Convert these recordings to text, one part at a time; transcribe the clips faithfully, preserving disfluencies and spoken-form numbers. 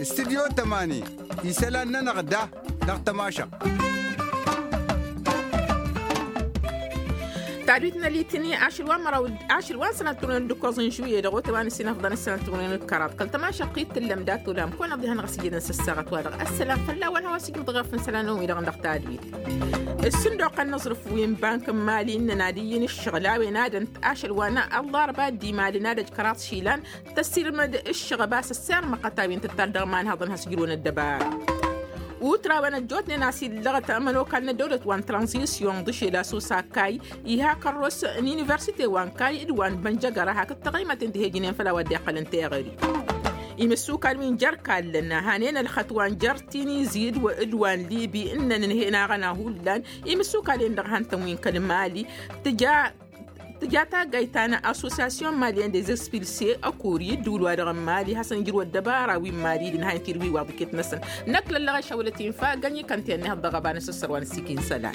Studyo tămani isălan-nănăɣ da dăɣ-tămašăɣt. Tadwit n-alitini ašăl wa n-măraw ašăl wa n-sănăt turnen d-ǝkkoẓ n-žuye dăɣ-ote wa n-ǝssin ăfḍăn ǝssanăt turnen d-kăraḍ kăl-tămašăɣt-i t-tǝllăm dat-olam kăwăn-ăḍihăn ɣas ijădăn s-ăssaɣăt wa dăɣ-ăssălam fălla-wen a-wa s-ijǝḍ ɣef n-isălan-năwăn-wi-dăɣ dăɣ-tadwit. Ǝssin d-oqăn n-aẓrǝf wi n-bank n-mali ǝnnăn ad-ǝyyǝn ǝššăɣǝl a-wen ad-ănt ašăl wa n-aḍarba d-imalăn ad-ăj kăraḍ išilan tăssirmăd ǝššăɣăb a-s ăssirmăɣăt a-wen tǝttal dăɣ-imanhăḍăn has-ǝjrǝwăn ăddăbara. Utra-wen ăjjootnen a-s illăɣăt ămănokal n-ăddăwlăt wa n-tranzisyon d-ašel a-s osakay iha kărros n-universite wa n-kay d-wa n-bănjăgăra hakd taɣăymaten tihejǝnen făll-a-wa dd-iqqălăn teɣări. Imǝssukal wi n-jer-kallăn hanen ălxăt wa n-jer-tinizi d-wa n-libi ǝnnăn ǝnhen aɣăna hullan imǝssukal-en-dăɣ han-tăn wi n-kăl-mali. Tǝja tǝja taggayt ta n-associasyon malyen des expulse ăkori ǝddǝwǝl-wa-dăɣ n-mali hasăn-ǝjrǝw ăddăbara wi n-mali d-ǝnhayăn tirwi wa ḍiket-năsăn. Năkk lăllăɣ i-šăwlăt infa gănyi kăntăyăn ihăḍ dăɣ-ăba n-asǝssăr wa n-ǝssikin isălan.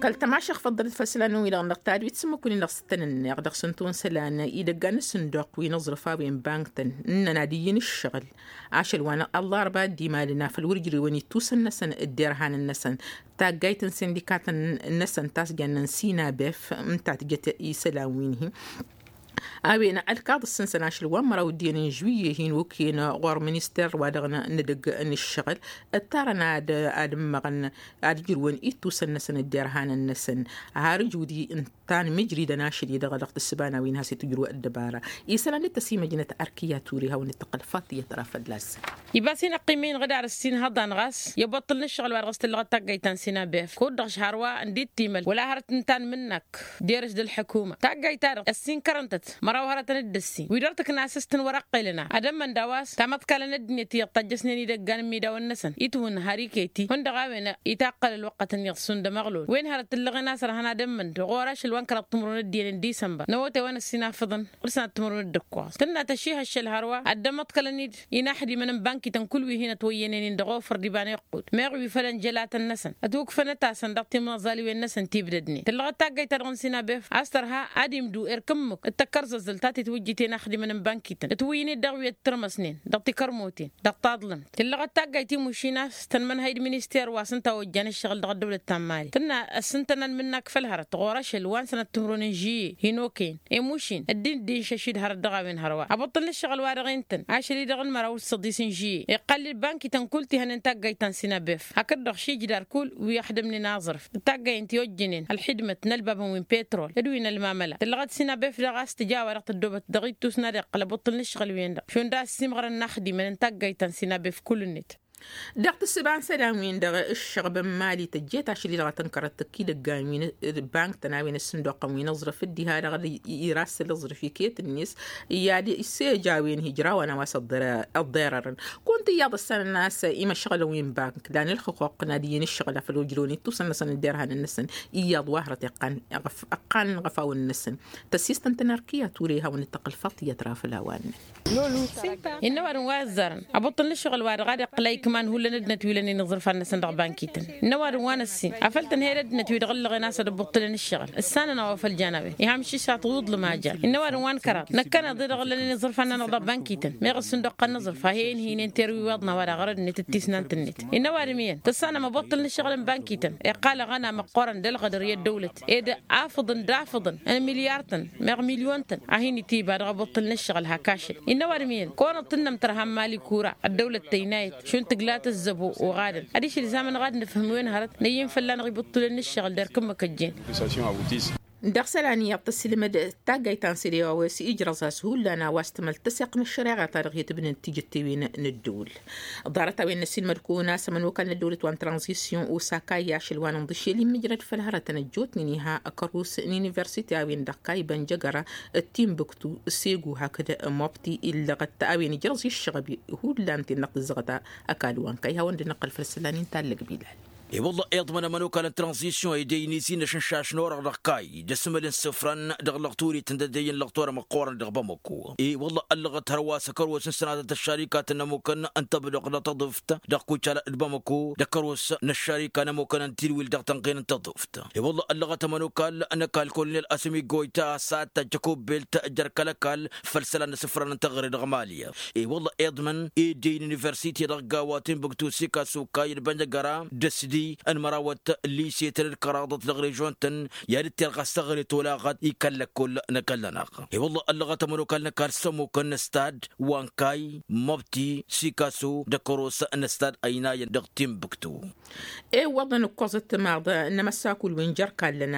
Kăl-tămašăɣ făḍḍălăt făll-isălan-năwăn-wi-dăɣ dăɣ-tadwit s-ǝmmǝk-win-dăɣ s-tăn-ǝnneɣ dăɣ-săn tawăn isălan idăggan n-sǝnduq wi n-aẓrǝf a-wen bank-tăn ǝnnăn ad-iyyǝn ǝššăɣǝl ašăl wa n-ăllarba d-imalăn afăl wăr ǝjrewăn ittusăn-năsăn d-derhanăn-năsăn. Taggayt n-sindikatăn-năsăn ta s-jannăn sinabef ǝnta tǝjăt isălan-win-hi. A-wen ălkaḍ ǝssǝnsăn ašăl wa n-măraw d-iyyăn n-žuwiyye hin-okăyăn ɣur-minister wa dăɣ-nǝdǝg n-ǝššăɣǝl ǝttarăn ad-ǝmmăɣăn ad-ǝjrǝwăn ittusăn-năsăn d-derhanăn-năsăn. Har ǝjud-i ǝnta n-imǝjridăn ašăl-i-dăɣ dăɣ-tǝssǝba n-a-wen has-itǝjrǝw ăddăbara isălan d-tăsimăjnăt arkiya ture hawăn-dd-tăqqăl faḍiyăt ra fălla-săn. Iba s-inăqqim-i inɣǝdar ǝssin hăḍan ɣas i-ăboṭṭǝl n-ǝššăɣǝl wa dăɣ-s tǝllăɣăt taggayt ta n-sinabef kud-dăɣ šhar wa n-dd-timăl wăla hărăt ǝnta n-imǝnnak. Derăš d-ălḥukuma taggayt-ta-dăɣ ăssinkărăn-tăt măraw hărătăn d-ǝssin wi dăr-tǝkna a-s s-tǝnwărăqqelăn a ad-ămmăn d-a-wa s-tamăḍkalăn ăddinăt iyyăḍ tajjăsnen idăggan n-imidawăn-năsăn itwǝnna har iket-i hundăɣ a-wen itaqqăl ălwăqqătăn iyyăḍ šund ămăɣlol wen hărăt tǝllăɣen a-s ărhăn ad-ămmăn d-ɣur-ašăl wa n-kăraḍ timǝrwen d-iyyăn n-disănbăr n-awăte wa n-ăssinafăḍăn. Ǝrsăn ad-timǝrwen d-ǝkkoẓ tǝnna tăšihăššăl hărwa ad-dd-ămăḍkălăn-dd inaxdimăn n-bankităn kull wi hin-ătwăyyănen-in dăɣ-ofăr d-iba n-iqqud meɣ wi făll-ănjălatăn-năsăn ătwǝkfănăt-asăn dăɣ-timǝẓaliwen-năsăn tibdădnen tǝllăɣăt taggayt-ta-dăɣ n-sinabef a-s tărha ad-imdu erk ǝmmǝk d-tăkkărzăzzălt ta titwǝjjǝt inaxdimăn n-bankităn ǝtwǝyyǝn-dd dăɣ-wi ăttărmăsnen ddăɣ-tikărmoten dăɣ-taḍlămt tǝllăɣăt taggayt imušin a-s tăn-mănhăy d-minister wa s-ǝnta ojjan ǝššăɣǝl dăɣ-ăddăwlăt ta n-mali tǝnna ăssintăn ălmǝnnak făll-hărăt ɣur-ašăl wa n-sănăt timǝrwen n-žiyye hin-okăyăn i-mušin ăddin dd-inšăšid hărăt dăɣ-a-wen hărwa ăbuṭṭǝl n-ǝššăɣǝl-wa-dăɣ i n-tăn ašăl-i-dăɣ n-măraw d-săḍis n-žiyye iqqăl-dd bankităn kull ti hănen taggayt ta n-sinabef hakd-dăɣ šijdar kull wi ăxdămnen aẓrǝf d-taggay ǝnta i-ojjănen ălxidmăt n-ălbabăn wi n-petrol d-wi n-ălmamăla tǝllăɣăt sinabef daɣ a-s tǝja a-wa dăɣ-tăddoobăt dăɣ-ittus n-ad-iqqăl ăbuṭṭǝl n-ǝššăɣǝl-wen-dăɣ šund a ăssiimɣărăn inaxdimăn n-taggayt ta n-sinabef kull-net. Dăɣ-tǝssǝba n-isălan-win-dăɣ ǝššăɣb n-mali tăjjeet ašăl-i-dăɣ a tǝnkărăt tăkk idăggan wi n-bank-tăn a-wen ǝssǝnduqăn wi n-aẓrǝf dd-iha dăɣ-irasǝl aẓrǝf iket-net i-ad-isseja a-wen hijrawan a-wa s-ăḍḍerărăn. Kunta iyyăḍ ăssanăn a-s imăšɣălăn wi n-bank lan ǝlxǝquq n-ad-iyyăn ǝššăɣǝl a făl ojrăwăn ittusăn-năsăn d-derhanăn-năsăn iyyăḍ wa hărăt iqqan ăqqalăn iɣăfawăn-năsăn. Tăssistăn-tăn arkiya ture hawăn-dd-tăqqǝl faḍiyăt ra făll-a-wa ǝnnăn. Innă ăwadǝm wa ăzzarăn ăbuṭṭǝl n-ǝššăɣǝl-wa-dăɣ ad-iqqǝl a ikman hullan ăddinăt wi lănen iẓrǝfan-năsăn dăɣ-bankităn. Innă ăwadǝm wa n-ăssin afăl tǝnhăyăd ăddinăt wi dăɣ-ǝllăɣen a-s ad-ăbbuṭṭǝlăn ǝššăɣǝl ǝssanăn a-wa făl jan a-wen iham iššaṭ iwǝḍlǝm a jan. Innă ăwadǝm wa n-kăraḍ năkkăneḍ-i-dăɣ ǝllănen iẓrǝfan-nănăɣ dăɣ-bankităn meɣ ǝssǝnduqqăn n-aẓrǝf a he-inhǝynen terwiwaḍna wa dăɣ-ɣărăd-net d-tisnant-net. Innă ăwadǝm iyyăn tǝssanăm ăbuṭṭǝl n-ǝššăɣǝl n-bankităn iqqal aɣăna măqqoorăn d-ălɣădăr i-ăddăwlăt ed afǝḍăn d-afǝḍăn n-milyartăn meɣ milyontăn a hin-itiba dăɣ-abuṭṭǝl n-ǝššăɣǝl hak ašăl. Innă ăwadǝm iyyăn kăwănăḍ tǝnnăm tărha n-mali kura ăddăwlăt tăynayăt šund tǝgla tăzzăbo oɣadăn adiš ilzamăn ɣad nǝfhǝm wen hărăt năyyǝn fălla-năɣ ibuṭṭǝlăn n-ǝššăɣǝl d-erk ǝmmǝk ăjjeen. Dăɣ-isălan iyyăḍ tăssilmăd taggayt ta n-sede a-wa s-ijrăẓ a-s hullan a-wa s-tǝmăl tăseɣt n-ăššăreɣa-ta-dăɣ i-tǝbnǝn tijǝttewen n-ăddăwǝl. Ḍarăt-a-wen n-ăssiilmăd-kăwăn a-s ămănokal n-ăddăwlăt wa n-tranzisyon osaka i-ašăl wa n-inḍǝšel immǝjrăd făll-hărătăn ăjjootnen iha ăkăros n-universite a-wen-dăɣ kayba n-jăgăra d-timbuktu segu hakd mobti illăɣăt a-wen ijrăẓ iššăɣăb hullan ti n-năɣ tǝzzăɣăt ăkall wa n-kăy hawăn-dd-năqqăl făll-isălan-in tallăg bilal. I-wălla iḍmăn ămănokal n-tranzisyon i-dăy-nisi n-ašǝnšaš n-orăɣ dăɣ-kayy d-asǝmǝl n-isǝfran dăɣ-lăɣturit n-dăddăyy n-lăɣtor ămăqqoorăn dăɣ-bamăko. I-wălla ăllăɣăt hărwa s-ăkăros n-sănatăt ăššarikat n-ămukăn n-tăbdăɣ dăɣ-tăḍuft dăɣ-kucala d-bamăko d-ăkăros n-ăššarika n-ămukăn n-tidwil dăɣ-tănɣin n-tăḍuft. I-wălla ăllăɣăt ămănokal n-ăkall kolonel asǝmi goyta a-s ad-tajj ăkubbelt jer-kăl-ăkall făll-isălan n-isǝfran n-teɣăre dăɣ-mali. I-wălla iḍmăn ed i-iniversite dăɣ-gawa timbuktu sikasu kayy d-bănjăgăra d-ăsdi n-mărawăt lise-tăn d-kăraḍăt dăɣ-režon-tăn i-ad-dd-tirɣas teɣăre tolaɣăt i-kăl-lăkkol n-ăkall-nănăɣ. I-wălla ăllăɣăt ămănokal n-ăkall s-ămmukăn n-stad wa n-kayy măbti sikasu d-ăkăros n-stad ăynayăn dăɣ-timbuktu. Iwwăḍăn ǝkkoẓăt timaḍ n-amăssakul wi n-jer-kallăn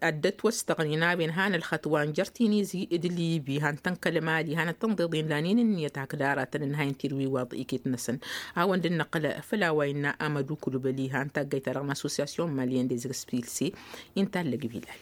ad-dd-ătwăstăɣăn inawen han ălxătwa n-jer-tinizi d-libi han tăn-kăl-mali han ăttănḍeḍ inlanen ǝnniyăt hakd aratăn ǝnhayăn tidwiwaḍ iket-năsăn. Hawăn-dd-năqqǝl făll-a-wa innă amădu kulubăli han taggayt-ta-dăɣ n-associasyon maliyăn d-ezǝgǝspilse. Inta ăllăg bilal.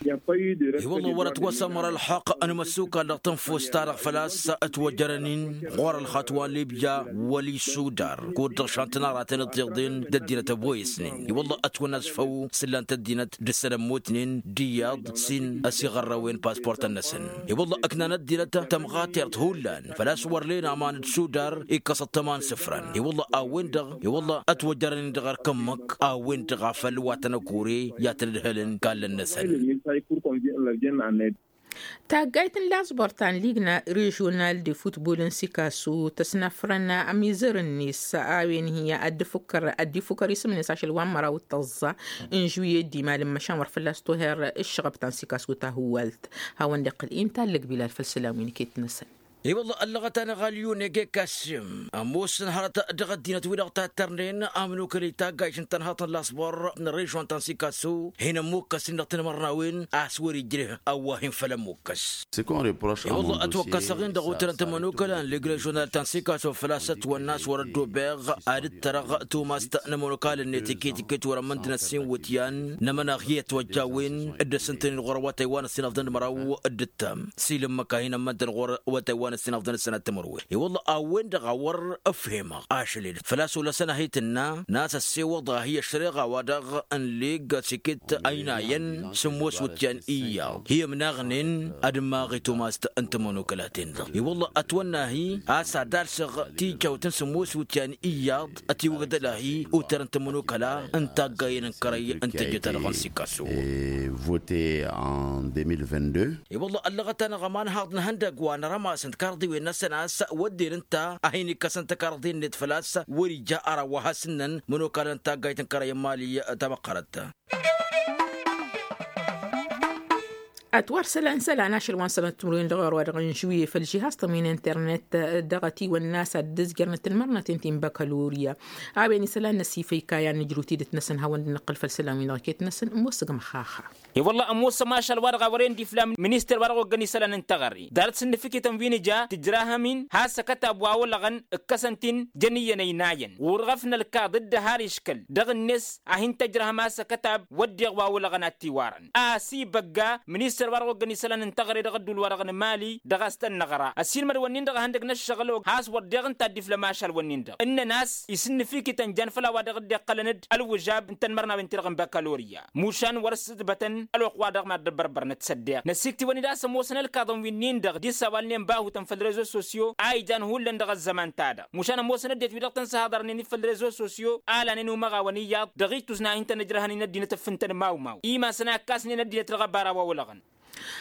I-wălla wăr-ătwăsămăr ălxăqq n-imăssukal dăɣ-tănfust-ta-dăɣ făl-a-s ătwăjărăn-in ɣur-ălxatwa n-libya wăl-isudar kud-dăɣ šan tănarăten ǝḍḍeḍen d-ăddinăt ăboyăsnen. I-wălla ătwănna s-făw s-ǝllan-t ăddinăt d-ǝssălămmutnen d-iyyăḍ s-in-ăsiɣărrăwen paspurtăn-năsăn. I-wălla ǝknan ăddinăt tămɣatert hullan făl-a-s wăr len aman d-sudar ikkăs ăṭṭăma n-isǝfran. I-wălla a-wen-dăɣ i-wălla ătwăjărăn-in dăɣ-erk ǝmmǝk a-wen-dăɣ a făl wa tăn-ăkure i-ad-tăn-ǝdhǝlăn kallăn-năsăn. Taggayt n-lasbor ta n-ligna režional de futbol n-sikasu tăsnafrăn amizăr-net a-wen hi-ad-dd-ifukăr isǝm-net ašăl wa n-măraw d-tăẓẓa n-žuye d-imal n-măšan wăr fălla-s toher ǝššăɣăb ta n-sikasu tahǝwalt. Hawăn-dd-iqqǝl inta ăllăg bilal făll-isălan wi n-iket-năsăn. I-wălla ăllăɣăt-anăɣ alyun egekassim ămoosăn hărăt dăɣ-ăddinăt-wi-dăɣ tattărnen amnukăl i-taggayt n-tănhăḍt n-lasbor n-režon ta n-sikasu hin-ămmukkăs-in dăɣ-tinmărnawen a-s wăr-ijreh ăwwah-in făll-ămmukkăs. I-wălla ătwăkkăsăɣ-in dăɣ-utărăn timănukăla n-lig režonal ta n-sikasu făl-a-s ătwănna a-s wăr-ăddobeɣ ad-dd-tărăɣ tumast n-ămănokal-net iket-iket wăr-ămmăndǝn ăssin iwǝtyan n-amănaɣ hi-ătwăjjawen dd-ăssǝntăn-in ɣur-awătay wa n-ăssinăfḍăn d-măraw d-ǝttam s-ilǝmmăk a hin-ămmăntăn ɣur-awătay wa n-ăssinăfḍăn d-sănat timǝrwen. I-wălla a-wen-dăɣ a wăr ǝfhemăɣ ašăl-e-dăɣ făl-a-s olăsăn a hi-tǝnna n-a-s ăssewăḍ a hi-ăššăreɣa-wa-dăɣ n-lig s-iket ăynayăn sǝmmos wǝtyan iyyăḍ hi-ămnaɣnen ad-ǝmmaɣ i-tumast n-timănokălaten-dăɣ. I-wălla ătwănna-hi a-s ad-alsăɣ tičawt n-sǝmmos wǝtyan iyyăḍ ătiwǝgdăl-ahi utărăn timănokăla n-taggayen n-kărăy n-tejjăt-ta-dăɣ n-sikasu. Vote en deux mille vingt-deux. I-wălla ăllăɣăt-anăɣ ămanhaḍ n-ihăndăgg wa n-arămas n-tikarḍiwen-năsăn a-s wădden ǝnta a hin-ikkăsăn tikarḍi-net făl-a-s wăr-ija ara wa has-ǝnnăn mănokalăn n-taggayt n-kărăy n-mali tamăqqărăt. Ătwăr isălan isălan ašăl wa n-sănăt timǝrwen dăɣ-orwa dăɣ-inžuye făll-žihaz-tăn wi n-internet dăɣ-ătiwănna a-s ad-dd-ǝzjărnăt tǝlmărnăten ti n-bakalorya. A-wen isălan n-asifăy kayan n-ǝjrǝw tidǝt-năsăn hawăn-dd-năqqǝl făll-isălan wi n-dăɣ iket-năsăn ămoosăg măxaxa. I-wălla ămoosăm ašăl wa dăɣ-a wăren d-iflam minister wa dăɣ-oggăn isălan n-teɣăre ḍarăt s-ǝnnǝfǝkităn wi n-ija tǝjrahăm-in has-ăkătab wa olăɣăn ǝkkăsăn-t-in jăn iyyăn ăynayăn ɣur-ɣăf n-ălkaḍ dd-ăhar iškăl dăɣ-net a hin-tăjrăhăm a-s ăkătab wădden wa olăɣăn ad-t-iwarăn a-s ibăgga ministăr wa dăɣ-oggăn isălan n-teɣăre dăɣ-ădduul-wa-dăɣ n-mali dăɣ-a-s tăn-năɣra ăsiilmăd-wăn-in-dăɣ a hăn-dăgg n-ăššăɣǝl has wăr deɣ ǝnta a dd-iflăm ašăl-wăn-in-dăɣ ǝnnăn a-s isǝnnǝfikităn jan făll-a-wa dăɣ-dd-iqqălăn-dd ălwǝžab n-tanmărnawen-ti-dăɣ n-bakaloria. Mušan wăr-ǝssǝtbătăn ălwăqq-wa-dăɣ mad-dd-ăbbărbărnăt s-ăddeɣ năsiktiwăn-dd a-s ămoosăn ălkaḍăn wi-nin-dăɣ d-isawalnen bahutăn făll-rezo sosyo a ijan hullan dăɣ-ăzzăman-ta-dăɣ mušan ămoosăn ăddinăt-wi-dăɣ tăn-săhaḍărnen-dd făll-rezo sosyo a lanen umăɣawăn iyyăḍ dăɣ-ittus n-ad-hin-tăn-ǝjrăhăn-in ăddinăt ǝffǝntăn mawmaw imasăn a ǝkkasnen ăddinăt dăɣ-ăbara wa olăɣăn.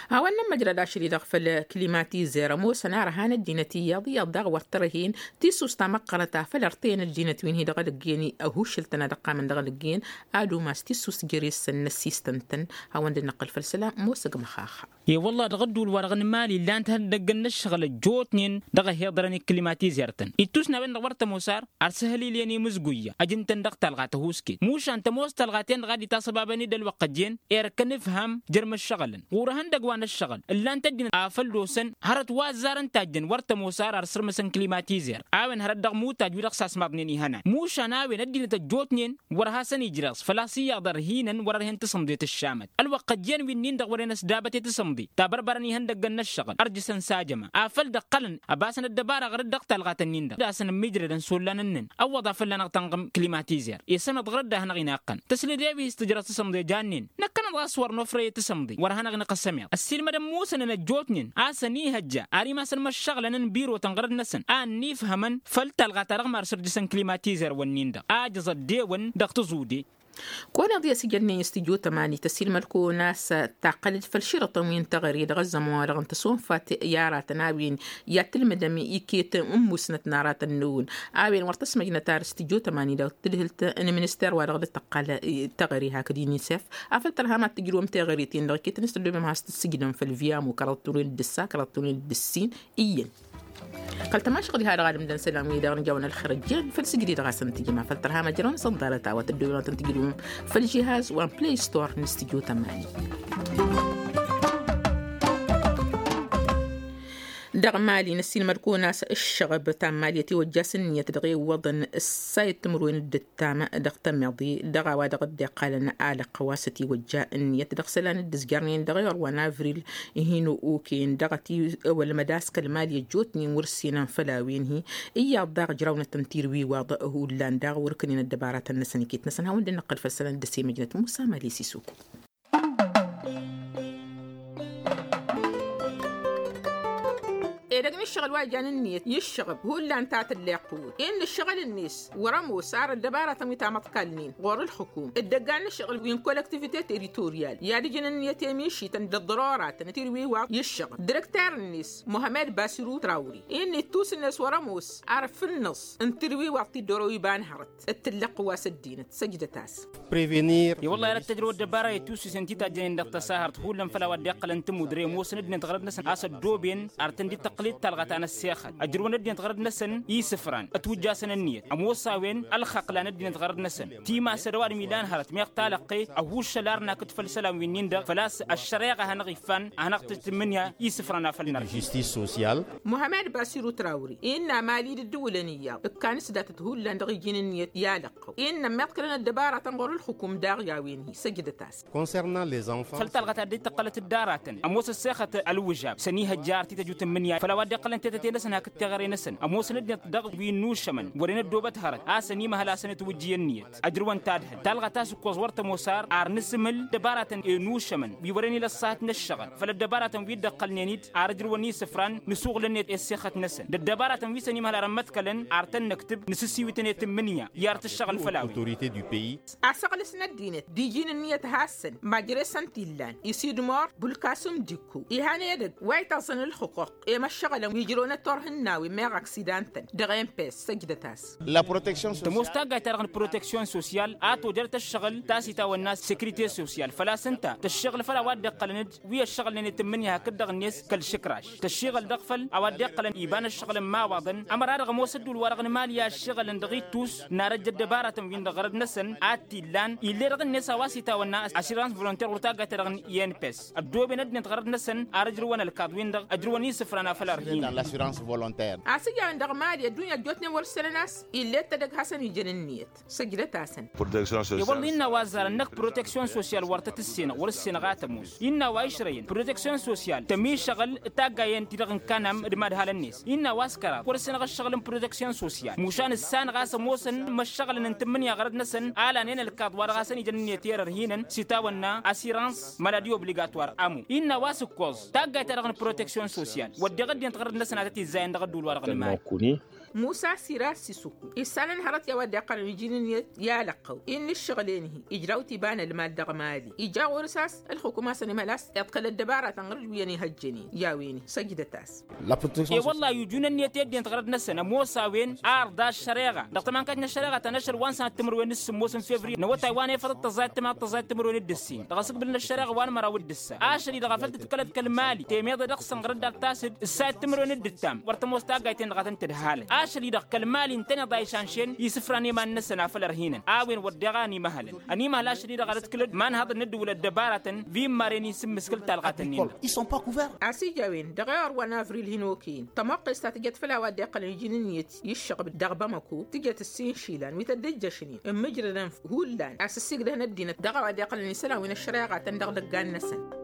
A-wa n-nămmăjrăd ašăl-i-dăɣ făll-klimatizer ămoosăn arăhan ăddinăt iyyăḍ iyyăḍ daɣ wăr tărăhen tissust ta măqqărăt a făl ărtăyăn ăddinăt wi n-hi-dăɣ ălǝggǝyăn ăhuššǝl-tăn a dăɣ-qqamăn dăɣ-ălǝggǝyăn ad-umas tissust jere-săn n-ăssistăn-tăn. Hawăn-dd-năqqǝl făll-isălan ămoosăg măxaxa. I-wălla dăɣ-ădduul-wa-dăɣ n-imali illan-t ihăndăggăn n-ǝššăɣǝl ăjjootnen dăɣ-ăhiḍărăn i-klimatizer-tăn ittusna-wen-dăɣ wăr tămoos ar ar săhălilyen imǝzguyya ăj ǝntăn dăɣ-talɣa tăhuusket mušan tămoos talɣa-ten-dăɣ a dd-itasăbabăn-dd ălwăqq ăjjeen erk ănǝfham jer-imǝššăɣǝlăn ɣur-ehăn. Dăgg-wa n-ăššăɣǝl ǝllan-t ăddinăt afăl d-osăn hărăt wa ăzzarăn tajjăn wăr tămoos ar ar sǝrmǝsăn klimatizer a-wen hărăt dăɣ-mutaj wi-dăɣ sasmaḍnen ihănan mušan a-wen ăddinăt ăjjootnen wăr hasăn-ijreẓ făl-a-s iyyăḍ ărhinăn wăr-ărhen tasǝmḍe tǝššamăt ălwăqq ăjjeen wi-nin-dăɣ wăren ăsdabăt i-tasǝmḍe tabărbărăn ihăndăggăn n-ăššăɣǝl ărjǝsăn s-ajăma afăl dăɣ-tălăn ăbasăn ăddăbara ɣărăt dăɣ-talɣat-nin-dăɣ d-asăn ămmiijrădăn s-ollan ǝnnin ăwwăḍ a fălla-năɣ tănɣǝm klimatizer isămăḍ ɣărăt d-ad-hanăɣ-inăqqăn tăsled i-wi s-tǝjrăẓ tasǝmḍe jannen năkkănăḍ ɣas wăr nofrăy tasǝmḍe wăr hanăɣ-inăqq ăsămeḍ ăssiilmădăn musănăn ăjjootnen a-s ănihăjja ar imasăn măššăɣlăn n-birotăn ɣărăt-năsăn a ănnifhămăn făll-talɣa-ta-dăɣ mar săr jǝsăn klimatizer-wǝnnin-dăɣ a jăẓ ăddewăn dăɣ-tăẓude. Kăwăneḍ i-asǝjănnen s-tijot ămani tăsilmăd-kăwăn a-s taqqălăd făll-širătăn wi n-teɣăre dăɣ-ăzzăman-wa-dăɣ n-tăsonfat i-aratăn a-wen i-ad-tǝlmǝdăm iket n-musnăt n-aratăn n-ewǝn a-wen wăr tăsmăjnăt ar s-tijot ămani dăɣ-tǝdhǝlt n-minister-wa-dăɣ dd-tăqqal teɣăre hakd inisef afăl tărham ad-tǝjrǝwăm teɣăre-ten-dăɣ iket-net tăddobem has-tǝssǝjdăm făll-viyamu kăraḍ turen d-ǝssa kăraḍ turen d-ǝssin iyyăn. Kăl-tămašăɣ diha-dăɣ ad-ǝmdăn isălan-wi-dăɣ n-ijawăn ălxer ăjjeen făll-sǝjdǝy dăɣ-asăn tǝjǝm afăl tărham ăjrăwăn isănḍarăt a-wa tăddoben wa tăn-tǝjrǝwăm făll-žihaz wa n-play store n-studio tămani. Dăɣ-mali năssiilmăd-kăwăn a-s ǝššăɣăb ta n-mali ătiwăjja s-ǝnniyăt dăɣ-e iwwăḍăn ǝssa i-timǝrwen d-ǝttam dăɣ-tămeḍe dăɣ-a-wa dăɣ-dd-iqqalăn alăqqăw a-s ătiwăjja ǝnniyăt dăɣ-isălan dd-ǝzjarnen dăɣ-iɣăr wa n-avril hin-okăyăn dăɣ-ătiwălmăd a-s kăl-mali ăjjootnen wăr-ǝssinăn făll-a-wen-hi. Iyyăḍ daɣ ǝjrawnăt n-tirwiwaḍ hullan daɣ wăr-ǝkǝnen ăddăbaratăn-năsăn iket-năsăn hawăn-dd-năqqăl făll-isălan dd-ăsimăjnăt musa mali s-isuk. Edăgg n-ǝššăɣǝl wa ijan ǝnniyăt i-ǝššăɣǝb hullan ta tǝlleɣ tǝwǝt-i n-ǝššăɣǝl-net wăr-ămoos ar ăddăbaratăn wi tamăḍkalnen ɣur-ǝlxǝkum dd-ăggan n-ǝššăɣǝl wi n-kolăktivite teritoryal i-ad-ǝjǝn ǝnniyăt i-emišităn d-ăḍḍăroratăn tirwiwaḍ i-ǝššăɣǝl direkter-net muhămed basiru trawri-i n-ittus-net wăr-ămoos ar fǝnnăẓ n-tirwiwaḍ ti dd-oro iba n-hărăt d-tǝllăɣ wa s-ăddinăt săjdăt-as. I-wălla-hi ad-tăjrăw ăddăbara i-tusǝsen ti tajjănen dăɣ-tăsahărt hullan făll-a-wa dd-iqqălăn tămudre ămoosăn ăddinăt ɣărăt-năsăn a-s ăddooben ar tăn-dd-tăqqǝl-dd talɣa ta n-ăssexăl ăjrǝwăn ăddinăt ɣărăt-năsăn isǝfran ătwǝjjasăn ǝnniyăt ămoos a-wen ălxăqlan ăddinăt ɣărăt-năsăn timasăd ăwadǝm ilan hărăt meɣ talăqqe ăhuuššăl ar nakǝd făll-isălan wi-nin-dăɣ făl-a-s ăššăreɣa hanăɣ-iffan a hanăɣ-tǝjt tǝmmǝnǝya isǝfran a făl nărha. Muhamed basiru trawri innă mali d-ǝddǝwǝlăn iyyăḍ ǝkkan s-datăt hullan dăɣ-iji n-ǝnniyăt i-alăqqăw innă ămmiḍkălăn ăddăbaratăn ɣur-ǝlxǝkum daɣ i-a-wen-hi săjdăt-as. Făll-talɣa ta dd-tăqqălăt d-aratăn ămoos ăssexăt ălwǝžab s-ănihăjja ar t-tăjut ǝmmǝnǝya făll-a-wa dd-iqqălăn tetăte-năsăn hakd teɣăre-năsăn ămoosăn ăddinăt dăɣ-wi n-ušămăn wăren ăddoobăt hărăt a-s ănimăhăl-asăn ǝtwǝjjǝy ǝnniyăt ăjrǝwăn tadhǝlt talɣa ta s-ǝkkoẓ wăr tămoos ar ar nǝsǝmǝl d-ăbaratăn i-nušămăn wi wăren ila ăṣṣahăt n-ăššăɣǝl făll-ăddăbaratăn wi dd-ăqqălnen-dd ar ǝjrǝwăn isǝfran nǝsuɣǝl-net i-ăssexăt-năsăn d-ăddăbaratăn wi s-ănimăhăl ar ămmăḍkălăn ar tăn-năktǝb nǝsǝssiwǝtăn i-tǝmmǝnǝya i-ar tǝššăɣǝl făll-a-wen. Asăɣlǝs n-ăddinăt d-iji n-ǝnniyăt hassăn majre s-ăntillan isidmor bulkasum dikku ihan edăgg wa ităẓẓăn ǝlxǝquq i-măššăɣǝlăn wi ǝjrăwnăt turhǝnnawen meɣ aksidan-tăn dăɣ-empes săjdăt-as. Tămoos taggayt-ta-dăɣ n-proteksyon sosyal a tojărăt ăššăɣǝl ta s-itawănna sekrite sosyal făl-a-s ǝnta tăššăɣǝl făll-a-wa dd-iqqălăn-dd wi ăššăɣǝlnen i-tǝmmǝnǝya hakd-dăɣ-net kăl-išǝkraš tăššiɣăl dăɣ-făll a-wa dd-iqqălăn iba n-ăššăɣǝl n-imawaḍăn ămăra-dăɣ ămoos ădduul-wa-dăɣ n-mali a ăššiɣălăn dăɣ-ittus n-arăjj ăddăbaratăn-win-dăɣ ɣărăt-năsăn ad-t-illan ill'-e dăɣ-net a-wa s-itawănna asirans volonter wăr taggayt-ta-dăɣ n-inps ăddooben ăddinăt ɣărăt-năsăn ar ǝjrǝwăn ălkaḍ-win-dăɣ ăjrǝwăn isǝfran a făl ărhin. Asǝjawăn dăɣ-mali ăddunya ăjjootnen wăr-ǝssenăn a-s ill'-e d-tedăgg hasăn-ijăn ǝnniyăt săjdăt-asăn. I-wălla innă a-wa ăzzarăn năkk proteksyon sosyal wăr tăt-ǝssenăɣ wăr-ǝssenăɣ a tămoos innă a-wa išrăyăn proteksyon sosyal tămišăɣǝl taggayen-ti-dăɣ n-kanam d-imadhalăn-net innă a-wa s-kăraḍ wăr-ǝssenăɣ ǝššăɣǝl n-proteksyon sosyal mušan ǝssanăɣ a-s ămoosăn imăššăɣǝlăn n-tǝmmǝnǝya ɣărăt-năsăn a lanen ălkaḍ wa dăɣ-hasăn-ijăn ǝnniyăt i-erăr hinăn s-itawănna asirans maladi obligatwar amo innă a-wa s-ǝkkoẓ taggayt-ta-dăɣ n-proteksyon sosyal wădden ăddinăt ɣărăt-năsăn a tăt-izzayăn dăɣ-ădduul-wa-dăɣ n-mali. Musa sirar s-isǝkku issanăn hărăt i-a-wa dd-iqqălăn iji n-ǝnniyăt i-alăqqăw-i n-ǝššăɣǝl-en-hi ijraw-t iba n-ălmal dăɣ-mali ija ɣur-s a-s ălxukum a-s ănimhăl a-s iḍkăl ăddăbaratăn ɣǝr-dd wi ănihăjjănen i-a-wen-hi săjdăt-as. E-wălla-hi ujun ǝnniyăt i-ăddinăt ɣărăt-năsăn ămoos a-wen arḍa ăššăreɣa dăɣ-tămankayt n-ăššăreɣa ta n-ašăl wa n-sănat timǝrwen d-sǝmmos n-fevriye n-awătay wa n-efăḍăt tăẓẓayăt timǝrwen d-ǝssin dăɣ-asǝkbǝl n-ăššăreɣa wa n-măraw d-ǝssa ašăl-i-dăɣ a făl tǝḍkălăt kăl-mali temeḍe dăɣ-săn ɣărăt d-ad-tasǝd ǝssayăt timǝrwen d-ǝttam wăr tămoos taggayt-en-dăɣ a tăn-tǝdhalăt. Ašăl-i-dăɣ kăl-mali ǝntăneḍ a išanšen isǝfran i-iman-năsăn afăl ărhinăn a-wen wăr deɣ a ănimăhălăn. Ănimăhăl ašăl-i-dăɣ ad-ǝtkǝlăd imanhăḍ n-ăddǝwǝl ăddăbaratăn wi n-maren isǝmmǝskǝl talɣat-ǝnnin. Agrikol i-sont pas couverts. A-s ija a-wen dăɣ-ewăr wa n-avril hin-okăyăn tămoqqes ta tǝjăt făll-a-wa dd-iqqălăn iji n-ǝnniyăt i-ǝššăɣb dăɣ-bamăko tǝjăt ǝssin išilan wi tădd-ǝjjăšnen ǝmmǝjrădăn hullan a-s ǝssigdăhăn ăddinăt dăɣ-a-wa dd-iqqălăn isălan wi n-ăššăreɣatăn dăɣ-idăggan-năsăn.